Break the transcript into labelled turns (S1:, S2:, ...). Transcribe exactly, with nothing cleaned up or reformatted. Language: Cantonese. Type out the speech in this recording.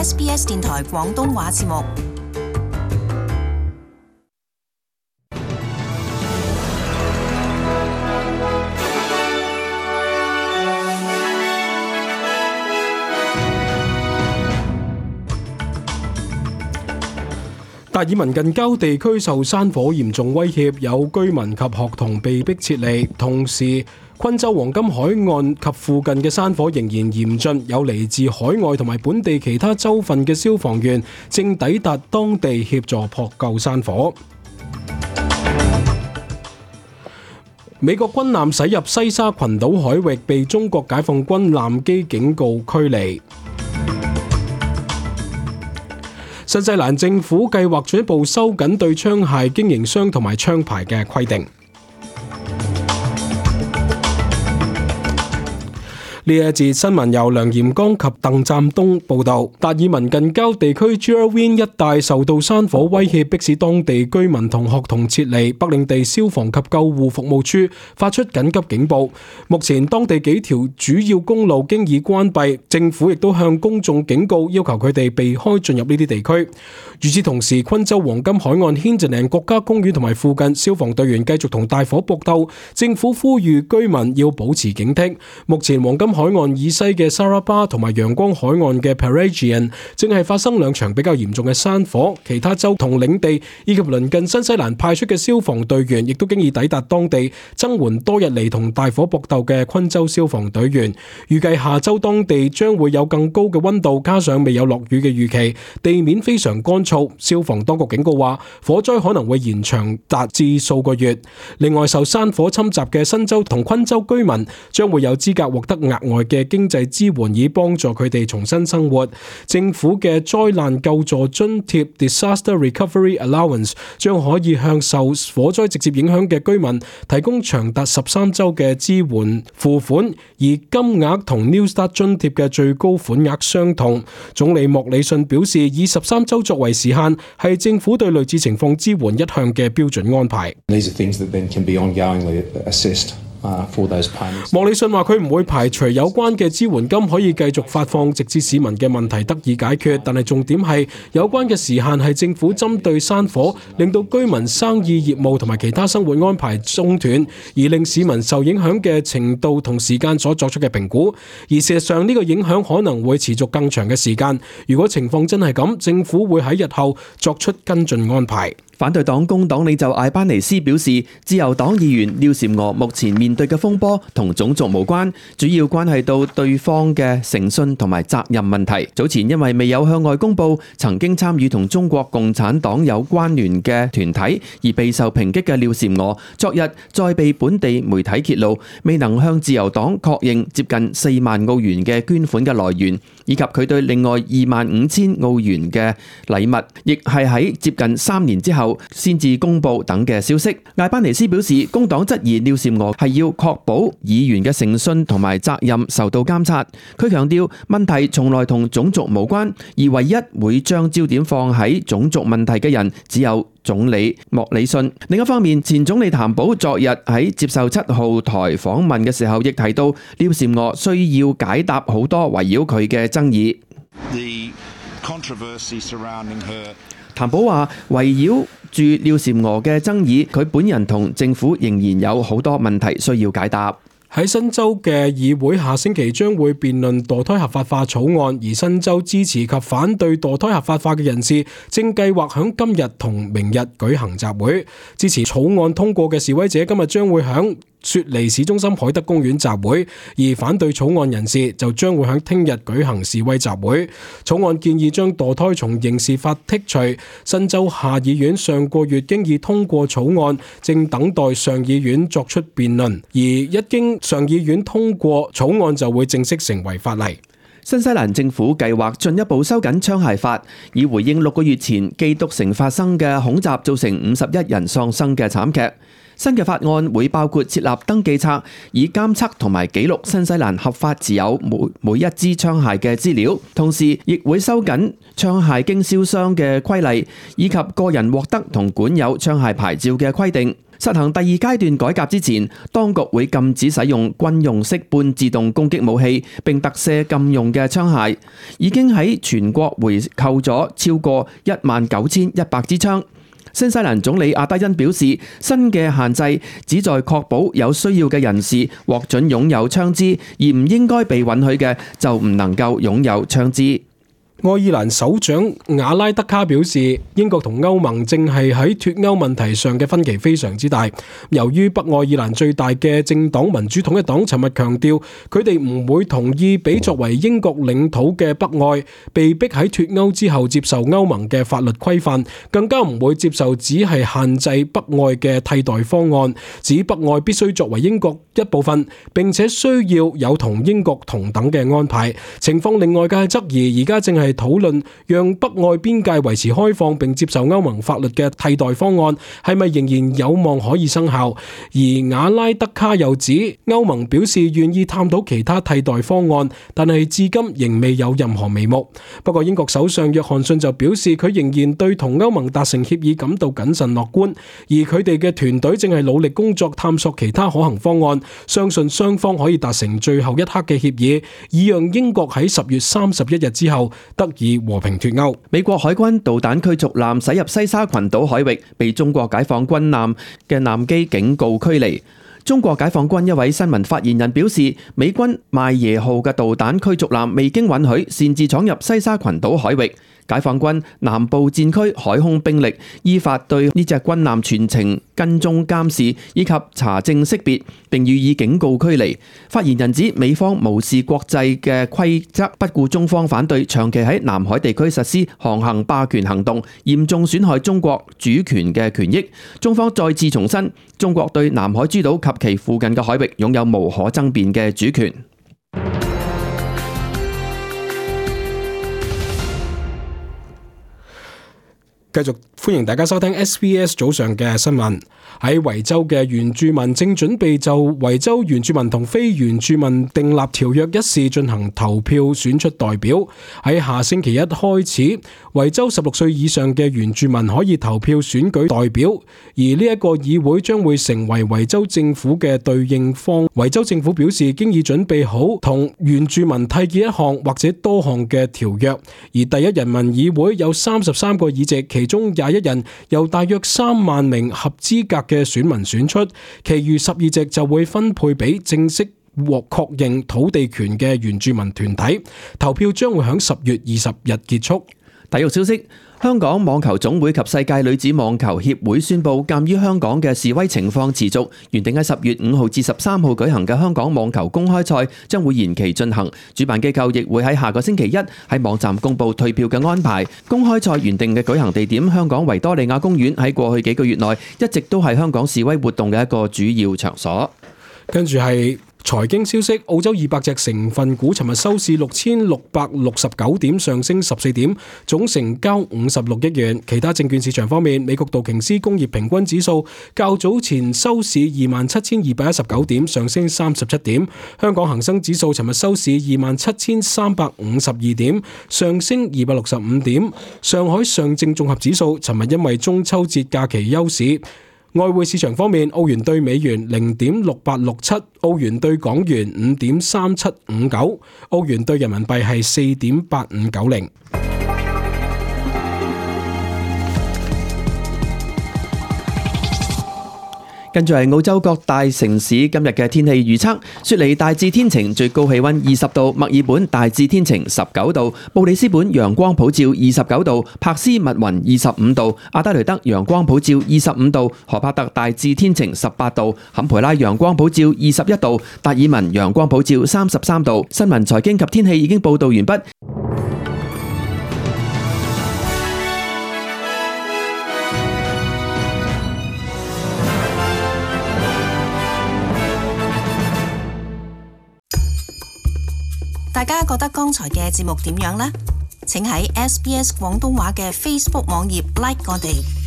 S1: S B S 電台廣東話節目。
S2: 達爾文近郊地區受山火嚴重威脅，有居民及學童被迫撤離。同時，昆州黃金海岸及附近嘅山火仍然嚴峻，有嚟自海外同埋本地其他州份嘅消防員正抵達當地協助撲救山火。美國軍艦駛入西沙群島海域，被中國解放軍艦機警告驅離。新西蘭政府計劃進一步收緊對槍械經營商同埋槍牌嘅規定。呢一節新聞由梁炎剛及鄧湛東報道。達爾文近郊地區 Geraldine 一帶受到山火威脅，迫使當地居民同學童撤離。北領地消防及救護服務處發出緊急警報。目前當地幾條主要公路經已關閉，政府亦都向公眾警告，要求佢哋避開進入呢啲地區。與此同時，昆州黃金海岸軒輋嶺國家公園同埋附近消防隊員繼續同大火搏鬥，政府呼籲居民要保持警惕。目前黃金海岸以西嘅沙拉巴同埋陽光海岸嘅 Paragian 正係發生兩場比較嚴重嘅山火，其他州同領地以及鄰近新西蘭派出嘅消防隊員亦都經已抵達當地，增援多日嚟同大火搏鬥嘅昆州消防隊員。預計下周當地將會有更高嘅溫度，加上未有落雨嘅預期，地面非常乾燥。消防當局警告話，火災可能會延長達至數個月。另外，受山火侵襲嘅新州同昆州居民將會有資格獲得額外嘅經濟支援，以幫助佢哋重新生活。政府嘅災難救助津貼 Disaster Recovery Allowance 將可以向受火災直接影響嘅居民提供長達十三週嘅支援付款，而金額同 New Start 津貼嘅最高款額相同。總理莫里遜表示，以十三週作為時限係政府對類似情況支援一向嘅標準安排。莫里遜話佢唔會排除有關嘅支援金可以繼續發放，直至市民嘅問題得以解決，但係重點係有關嘅時限係政府針對山火令到居民生意業務同埋其他生活安排中斷，而令市民受影響嘅程度同時間所作出嘅評估。而事實上呢個影響可能會持續更長嘅時間。如果情況真係咁，政府會喺日後作出跟進安排。
S3: 反對黨工黨領袖艾班尼斯表示，自由黨議員廖嬋娥目前面對嘅風波同種族無關，主要關係到對方嘅誠信同埋責任問題。早前因為未有向外公佈曾經參與同中國共產黨有關聯嘅團體而備受抨擊嘅廖嬋娥，昨日再被本地媒體揭露未能向自由黨確認接近四萬澳元嘅捐款嘅來源，以及佢對另外二萬五千澳元嘅禮物，亦係喺接近三年之後先至公布等嘅消息。艾班尼斯表示，工黨質疑廖嬋娥係要確保議員嘅誠信同埋責任受到監察。佢強調問題從來同種族無關，而唯一會將焦點放喺種族問題嘅人只有總理莫里遜。另一方面，前總理譚寶昨日喺接受七號台訪問嘅時候，亦提到廖嬋娥需要解答好多圍繞佢嘅爭議。譚寶話，圍繞住廖嬋娥嘅爭議，佢本人同政府仍然有好多問題需要解答。
S2: 喺新州嘅議會下星期將會辯論墮胎合法化草案，而新州支持及反對墮胎合法化嘅人士正計劃響今日同明日舉行集會。支持草案通過嘅示威者今日將會響雪梨市中心海德公園集會，而反對草案人士就將會喺聽日舉行示威集會。草案建議將墮胎從刑事法剔除。新州下議院上個月經已通過草案，正等待上議院作出辯論，而一經上議院通過，草案就會正式成為法例。
S3: 新西蘭政府計劃進一步收緊槍械法，以回應六個月前基督城發生嘅恐襲造成五十一人喪生嘅慘劇。新嘅法案會包括設立登記冊，以監測同埋記錄新西蘭合法持有每每一支槍械嘅資料，同時亦會收緊槍械經銷商嘅規例，以及個人獲得同管有槍械牌照嘅規定。實行第二階段改革之前，當局會禁止使用軍用式半自動攻擊武器，並特赦禁用嘅槍械。已經喺全國回購咗超過一萬九千一百支槍。新西蘭總理阿德恩表示，新嘅限制旨在確保有需要嘅人士獲准擁有槍支，而唔應該被允許嘅就唔能夠擁有槍支。
S2: 愛爾蘭首長瓦拉德卡表示，英國同歐盟正係喺脫歐問題上嘅分歧非常之大。由於北愛爾蘭最大嘅政黨民主統一黨尋日強調，佢哋唔會同意俾作為英國領土嘅北愛被逼喺脫歐之後接受歐盟嘅法律規範，更加唔會接受只係限制北愛嘅替代方案，指北愛必須作為英國一部分，並且需要有同英國同等嘅安排。情況令外界質疑，而家正係討論讓北愛邊界維持開放並接受歐盟法律嘅替代方案係咪仍然有望可以生效。而瓦拉德卡又指，歐盟表示願意探討其他替代方案，但係至今仍未有任何眉目。不過英國首相約翰遜就表示，佢仍然對同歐盟達成協議感到謹慎樂觀，而佢哋嘅團隊正係努力工作探索其他可行方案，相信雙方可以達成最後一刻嘅協議，以讓英國喺十月三十一日之後得以和平脫歐。
S3: 美國海軍導彈驅逐艦駛入西沙群島海域，被中國解放軍艦嘅艦機警告驅離。中國解放軍一位新聞發言人表示，美軍邁耶號嘅導彈驅逐艦未經允許擅自闖入西沙群島海域。解放軍南部戰區海空兵力依法對呢隻軍艦全程跟蹤監視以及查證識別，並予以警告驅離。發言人指，美方無視國際嘅規則，不顧中方反對，長期喺南海地區實施航行霸權行動，嚴重損害中國主權嘅權益。中方再次重申，中國對南海諸島及其附近嘅海域擁有無可爭辯嘅主權。
S2: 繼續歡迎大家收聽 S B S 早上嘅新聞。喺維州嘅原住民正準備就維州原住民同非原住民訂立條約一事進行投票，選出代表。喺下星期一開始，維州十六歲以上嘅原住民可以投票選舉代表，而呢一個議會將會成為維州政府嘅對應方。維州政府表示，經已準備好同原住民締結一項或者多項嘅條約。而第一人民議會有三十三個議席，其中廿一人由大約三萬名合資格嘅選民選出，其餘十二席就會分配俾正式獲確認土地權嘅原住民團體。投票將會喺十月二十日結束。
S3: 體育消息：香港網球總會及世界女子網球協會宣布，鑑於香港嘅示威情況持續，原定喺十月五號至十三號舉行嘅香港網球公開賽將會延期進行。主辦機構亦會喺下個星期一喺網站公布退票嘅安排。公開賽原定嘅舉行地點香港維多利亞公園喺過去幾個月內一直都係香港示威活動嘅一個主要場所。
S2: 跟住係財經消息，澳洲二百隻成分股尋日收市六千六百六十九點，上升十四點，總成交五十六億元。其他證券市場方面，美國道瓊斯工業平均指數較早前收市二萬七千二百一十九點，上升三十七點。香港恒生指數尋日收市二萬七千三百五十二點，上升二百六十五點。上海上證綜合指數尋日因為中秋節假期休市。外匯市場方面，澳元兌美元零點六八六七，澳元兌港元五點三七五九，澳元兌人民幣係四點八五九零。
S3: 跟住係澳洲各大城市今日嘅天氣預測：雪梨大致天晴，最高氣溫二十度；墨爾本大致天晴，十九度；布里斯本陽光普照，二十九度；柏斯密雲二十五度；阿德雷德陽光普照，二十五度；荷帕特大致天晴，十八度；坎培拉陽光普照，二十一度；達爾文陽光普照，三十三度。新聞、財經及天氣已經報道完畢。
S1: 大家覺得剛才嘅節目點樣呢？請喺 S B S 廣東話嘅 Facebook 網頁 like 我哋。